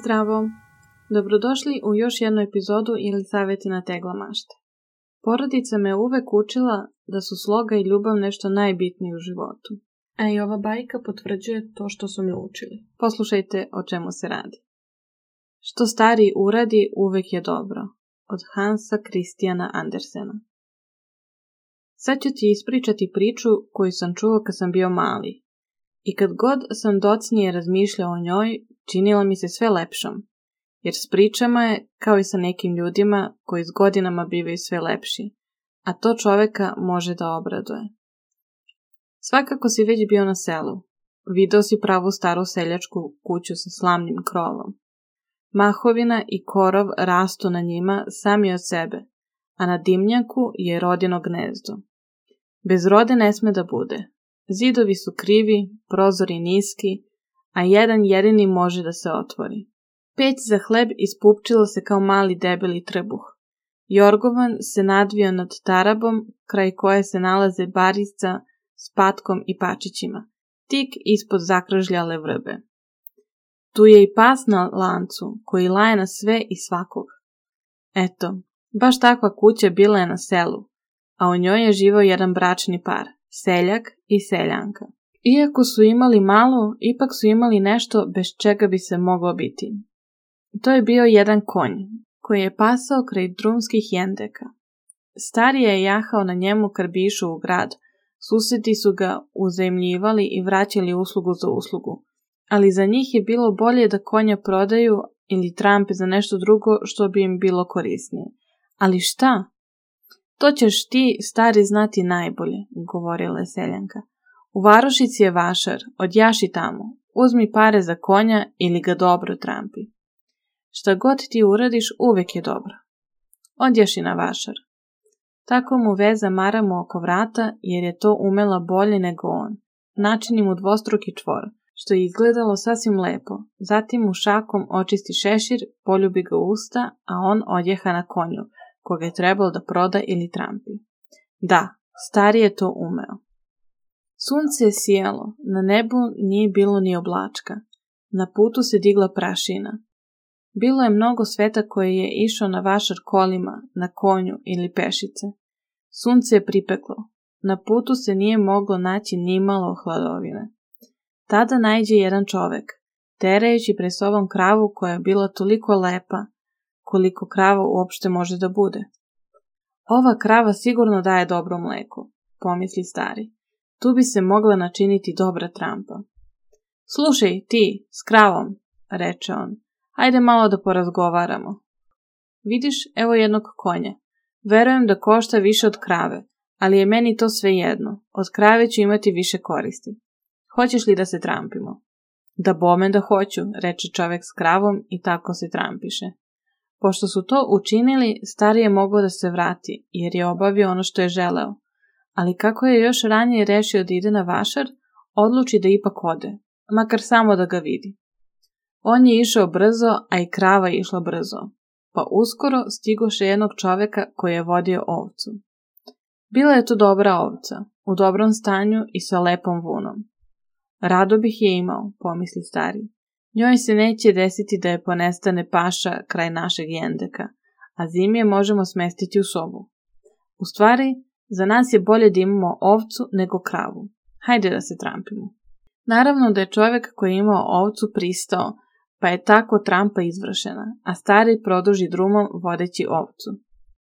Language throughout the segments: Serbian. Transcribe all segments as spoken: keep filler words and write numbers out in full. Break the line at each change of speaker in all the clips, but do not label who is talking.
Zdravo! Dobrodošli u još jednu epizodu ili savjeti na tegla mašte. Porodica me uvek učila da su sloga i ljubav nešto najbitnije u životu. A i ova bajka potvrđuje to što su me učili. Poslušajte o čemu se radi. Što stariji uradi, uvek je dobro. Od Hansa Christiana Andersena. Sad ću ti ispričati priču koju sam čuo kad sam bio mali. I kad god sam docnije razmišljao o njoj, činila mi se sve lepšom. Jer s pričama je kao i sa nekim ljudima koji s godinama bivaju sve lepši, a to čoveka može da obraduje. Svakako si već bio na selu. Video si pravu staru seljačku kuću sa slamnim krovom. Mahovina i korov rastu na njima sami od sebe, a na dimnjaku je rodino gnezdo. Bez rode ne sme da bude. Zidovi su krivi, prozori niski, a jedan jedini može da se otvori. Peć za hleb ispupčila se kao mali debeli trbuh. Jorgovan se nadvio nad tarabom, kraj koje se nalaze barica s patkom i pačićima, tik ispod zakržljale vrbe. Tu je i pas na lancu, koji laje na sve i svakog. Eto, baš takva kuća bila je na selu, a u njoj je živao jedan bračni par, seljak i seljanka. Iako su imali malo, ipak su imali nešto bez čega bi se moglo biti. To je bio jedan konj, koji je pasao kraj drumskih jendeka. Stariji je jahao na njemu kad bi išao u grad. Susedi su ga uzajmljivali i vraćali uslugu za uslugu. Ali za njih je bilo bolje da konja prodaju ili trampe za nešto drugo što bi im bilo korisnije. Ali šta? To ćeš ti, stari, znati najbolje, govorila je seljanka. U varošici je vašar, odjaši tamo, uzmi pare za konja ili ga dobro trampi. Šta god ti uradiš, uvek je dobro. Odjaši na vašar. Tako mu veza maramu oko vrata, jer je to umela bolje nego on. Načini mu dvostruki čvor, što je izgledalo sasvim lepo. Zatim mu šakom očisti šešir, poljubi ga usta, a on odjeha na konju, koga je trebalo da proda ili trampi. Da, stari je to umeo. Sunce je sijalo, na nebu nije bilo ni oblačka. Na putu se digla prašina. Bilo je mnogo sveta koje je išao na vašar kolima, na konju ili pešice. Sunce je pripeklo. Na putu se nije moglo naći nimalo hladovine. Tada naiđe jedan čovek, terajući pred sobom kravu koja je bila toliko lepa, koliko krava uopšte može da bude. Ova krava sigurno daje dobro mleko, pomisli stari. Tu bi se mogla načiniti dobra trampa. Slušaj, ti, s kravom, reče on. Hajde malo da porazgovaramo. Vidiš, evo jednog konja. Verujem da košta više od krave, ali je meni to sve jedno. Od krave ću imati više koristi. Hoćeš li da se trampimo? Da bome da hoću, reče čovek s kravom i tako se trampiše. Pošto su to učinili, stari je mogao da se vrati, jer je obavio ono što je želeo. Ali kako je još ranije rešio da ide na vašar, odluči da ipak ode, makar samo da ga vidi. On je išao brzo, a i krava je išla brzo, pa uskoro stigoše jednog čoveka koji je vodio ovcu. Bila je to dobra ovca, u dobrom stanju i sa lepom vunom. Rado bih je imao, pomisli stari. Njoj se neće desiti da je ponestane paša kraj našeg jendeka, a zimi je možemo smestiti u sobu. U stvari, za nas je bolje da imamo ovcu nego kravu. Hajde da se trampimo. Naravno da je čovjek koji je imao ovcu pristao, pa je tako trampa izvršena, a stari produži drumom vodeći ovcu.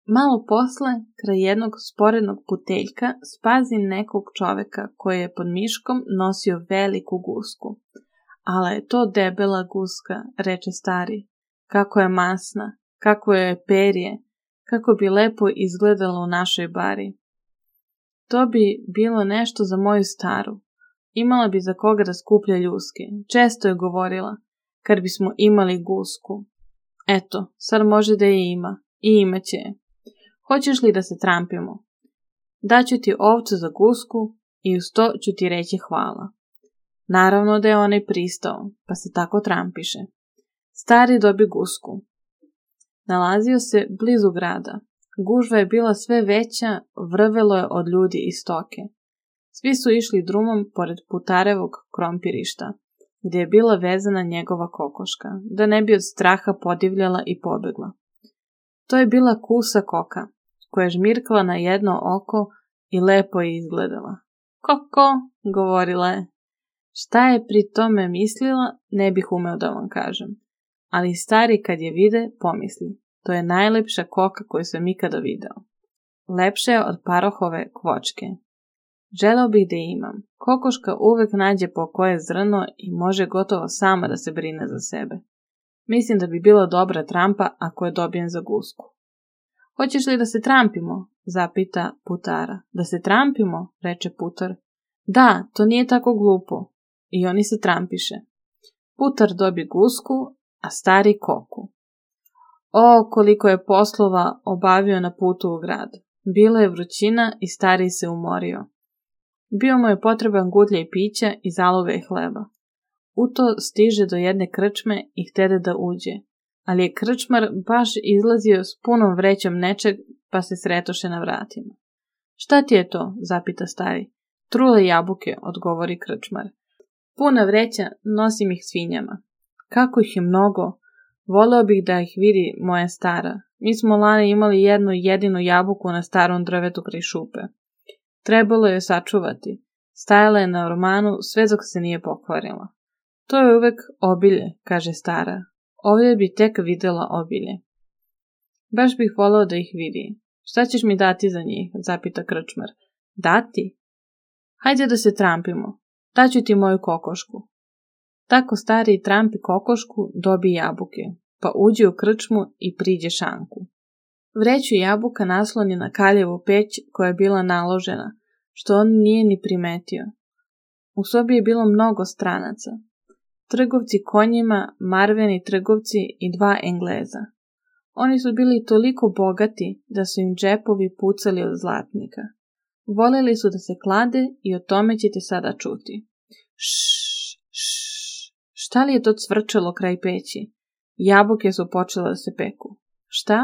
Malo posle, kraj jednog sporednog puteljka, spazi nekog čoveka koji je pod miškom nosio veliku gusku. Ale je to debela guska, reče stari. Kako je masna, kako je perje, kako bi lepo izgledala u našoj bari. To bi bilo nešto za moju staru. Imala bi za koga da skuplja ljuske. Često je govorila, kad bismo imali gusku. Eto, sad može da je ima. I imaće je. Hoćeš li da se trampimo? Daću ti ovcu za gusku i uz to ću ti reći hvala. Naravno da je onaj pristao, pa se tako trampiše. Stari dobi gusku. Nalazio se blizu grada. Gužva je bila sve veća, vrvelo je od ljudi i stoke. Svi su išli drumom pored putarevog krompirišta, gdje je bila vezana njegova kokoška, da ne bi od straha podivljala i pobegla. To je bila kusa koka, koja je žmirkala na jedno oko i lepo je izgledala. Koko, govorila je. Šta je pri tome mislila, ne bih umeo da vam kažem. Ali stari kad je vide, pomisli. To je najlepša koka koju sam ikada video. Lepše je od parohove kvočke. Želeo bih da je imam. Kokoška uvek nađe po koje zrno i može gotovo sama da se brine za sebe. Mislim da bi bila dobra trampa ako je dobijem za gusku. Hoćeš li da se trampimo? Zapita putara. Da se trampimo, reče putar. Da, to nije tako glupo. I oni se trampiše. Putar dobi gusku, a stari koku. O, koliko je poslova obavio na putu u grad. Bila je vrućina i stari se umorio. Bio mu je potreban gudlja i pića i zaloga i hleba. U to stiže do jedne krčme i htede da uđe, ali je krčmar baš izlazio s punom vrećom nečeg, pa se sretoše na vratima. Šta ti je to? Zapita stari. Trule jabuke, odgovori krčmar. Puna vreća, nosim ih svinjama. Kako ih je mnogo? Voleo bih da ih vidi moja stara. Mi smo lani imali jednu jedinu jabuku na starom drvetu kraj šupe. Trebalo je sačuvati. Stajala je na ormanu sve dok se nije pokvarila. To je uvek obilje, kaže stara. Ovdje bi tek videla obilje. Baš bih voleo da ih vidi. Šta ćeš mi dati za njih? Zapita krčmar. Dati? Hajde da se trampimo. Daću ti moju kokošku. Tako stari trampi kokošku, dobi jabuke, pa uđe u krčmu i priđe šanku. Vreću jabuka nasloni na kaljevu peć koja je bila naložena, što on nije ni primetio. U sobi je bilo mnogo stranaca. Trgovci konjima, marveni trgovci i dva Engleza. Oni su bili toliko bogati da su im džepovi pucali od zlatnika. Voleli su da se klade i o tome ćete sada čuti. Šš, šš, šta li je to cvrčalo kraj peći? Jabuke su počele da se peku. Šta?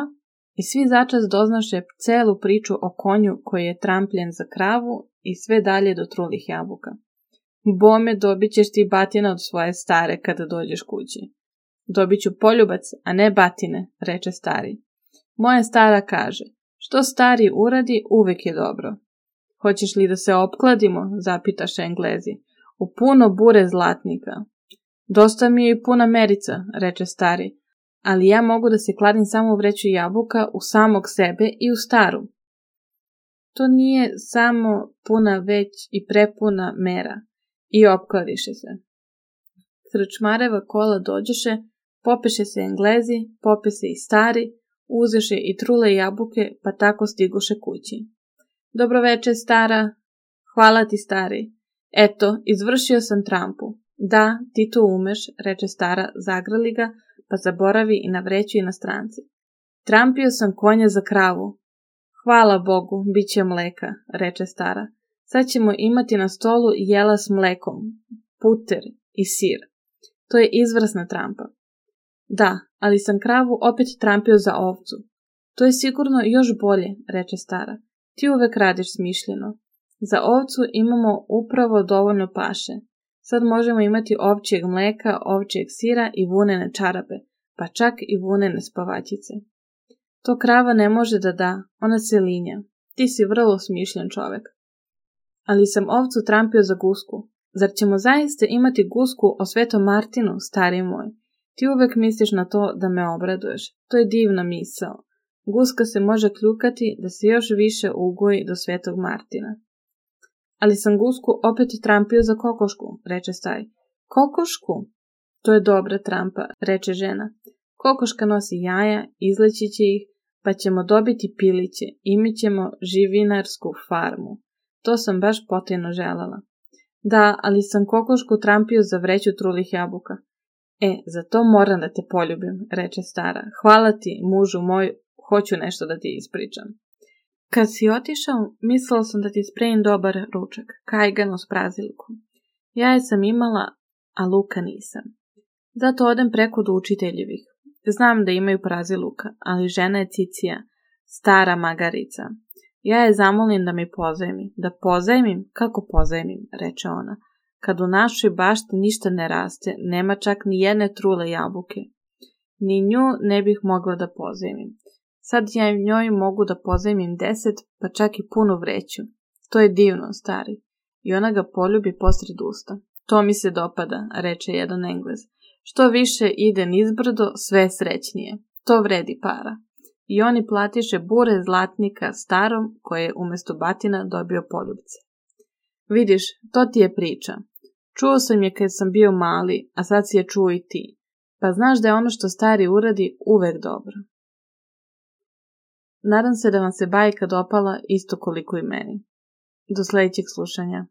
I svi začas doznaše celu priču o konju koji je trampljen za kravu i sve dalje do trulih jabuka. Bome, dobit ćeš ti batina od svoje stare kada dođeš kući. Dobit ću poljubac, a ne batine, reče stari. Moja stara kaže, što stari uradi, uvek je dobro. Hoćeš li da se opkladimo, zapitaše Englezi, u puno bure zlatnika. Dosta mi je i puna merica, reče stari, ali ja mogu da se kladim samo u vreću jabuka, u samog sebe i u staru. To nije samo puna već i prepuna mera. I opkladiše se. Krčmareva kola dođeše, popeše se Englezi, pope se i stari, uzeše i trule jabuke, pa tako stiguše kući. Dobroveče, stara. Hvala ti, stari. Eto, izvršio sam trampu. Da, ti to umeš, reče stara, zagrali ga, pa zaboravi i na vreću i na stranci. Trampio sam konja za kravu. Hvala Bogu, bit će mleka, reče stara. Sad ćemo imati na stolu jela s mlekom, puter i sir. To je izvrsna trampa. Da, ali sam kravu opet trampio za ovcu. To je sigurno još bolje, reče stara. Ti uvek radiš smišljeno. Za ovcu imamo upravo dovoljno paše. Sad možemo imati ovčjeg mleka, ovčjeg sira i vunene čarape, pa čak i vunene spavačice. To krava ne može da da, ona se linja. Ti si vrlo smišljen čovek. Ali sam ovcu trampio za gusku. Zar ćemo zaista imati gusku o Svetom Martinu, stari moj? Ti uvek misliš na to da me obraduješ. To je divna misao. Guska se može kljukati da se još više ugoji do Svetog Martina. Ali sam gusku opet trampio za kokošku, reče stari. Kokošku? To je dobra trampa, reče žena. Kokoška nosi jaja, izleći će ih, pa ćemo dobiti piliće, imat ćemo živinarsku farmu. To sam baš potajno želela. Da, ali sam kokošku trampio za vreću trulih jabuka. E, za to moram da te poljubim, reče stara. Hvala ti, mužu moj, hoću nešto da ti ispričam. Kad si otišao, mislila sam da ti spremim dobar ručak, kajganu s prazilikom. Jaje sam imala, a luka nisam. Zato odem preko do učiteljevih. Znam da imaju praziluka, ali žena je Cicija, stara magarica. Ja je zamolim da mi pozajmi. Da pozajmim? Kako pozajmim, reče ona. kad u našoj bašti ništa ne raste, nema čak ni jedne trule jabuke. Ni nju ne bih mogla da pozajmim. Sad ja njoj mogu da pozajmim deset, pa čak i punu vreću. To je divno, stari. I ona ga poljubi posred usta. To mi se dopada, reče jedan Englez. Što više ide nizbrdo, sve srećnije. To vredi para. I oni platiše bure zlatnika starom, koje je umesto batina dobio poljubce. Vidiš, to ti je priča. Čuo sam je kad sam bio mali, a sad si je čuo i ti. Pa znaš da je ono što stari uradi uvek dobro. Nadam se da vam se bajka dopala isto koliko i meni. Do sljedećeg slušanja.